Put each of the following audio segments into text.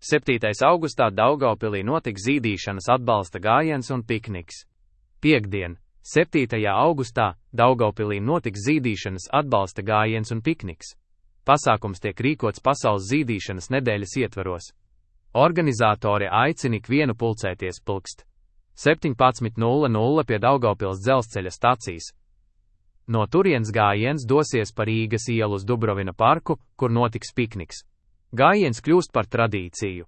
7. augustā Daugavpilī notiks zīdīšanas atbalsta gājiens un pikniks. Piektdien, 7. augustā, Daugavpilī notiks zīdīšanas atbalsta gājiens un pikniks. Pasākums tiek rīkots Pasaules zīdīšanas nedēļas ietvaros. Organizatori aicina ikvienu pulcēties pulkst 17:00 pie Daugavpils dzelzceļa stacijas. No turienes gājiens dosies pa Rīgas ielu uz Dubrovina parku, kur notiks pikniks. Gājiens kļūst par tradīciju.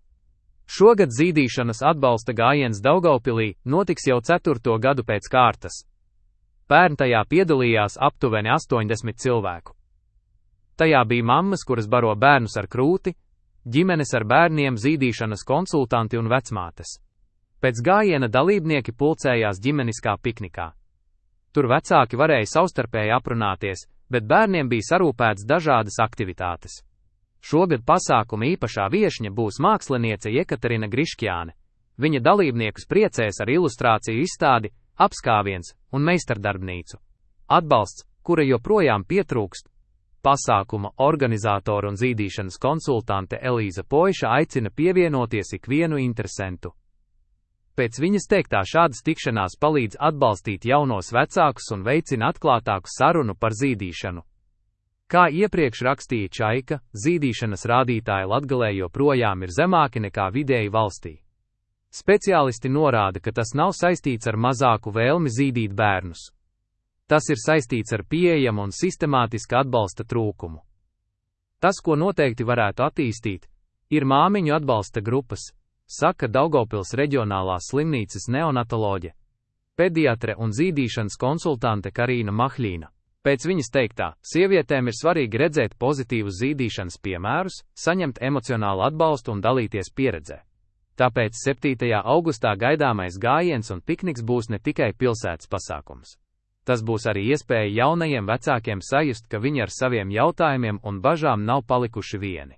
Šogad zīdīšanas atbalsta gājiens Daugavpilī notiks jau 4. gadu pēc kārtas. Pērn tajā piedalījās aptuveni 80 cilvēku. Tajā bija mammas, kuras baro bērnus ar krūti, ģimenes ar bērniem, zīdīšanas konsultanti un vecmātes. Pēc gājiena dalībnieki pulcējās ģimeniskā piknikā. Tur vecāki varēja savstarpēji aprunāties, bet bērniem bija sarūpēts dažādas aktivitātes. Šogad pasākuma īpašā viešņa būs māksliniece Jekaterina Griškjāne. Viņa dalībniekus priecēs ar ilustrāciju izstādi, apskāviens un meistardarbnīcu. Atbalsts, kura joprojām pietrūkst. Pasākuma organizātora un zīdīšanas konsultante Elīza Poiša aicina pievienoties ikvienu interesentu. Pēc viņas teiktā šādas tikšanās palīdz atbalstīt jaunos vecākus un veicina atklātāku sarunu par zīdīšanu. Kā iepriekš rakstīja Čaika, zīdīšanas rādītāji Latgalē joprojām ir zemāki nekā vidēji valstī. Speciālisti norāda, ka tas nav saistīts ar mazāku vēlmi zīdīt bērnus. Tas ir saistīts ar pieejamu un sistemātiska atbalsta trūkumu. Tas, ko noteikti varētu attīstīt, ir māmiņu atbalsta grupas, saka Daugavpils reģionālās slimnīcas neonatoloģe, pediatre un zīdīšanas konsultante Karīna Mahļīna. Pēc viņas teiktā, sievietēm ir svarīgi redzēt pozitīvus zīdīšanas piemērus, saņemt emocionālu atbalstu un dalīties pieredzē. Tāpēc 7. augustā gaidāmais gājiens un pikniks būs ne tikai pilsētas pasākums. Tas būs arī iespēja jaunajiem vecākiem sajust, ka viņi ar saviem jautājumiem un bažām nav palikuši vieni.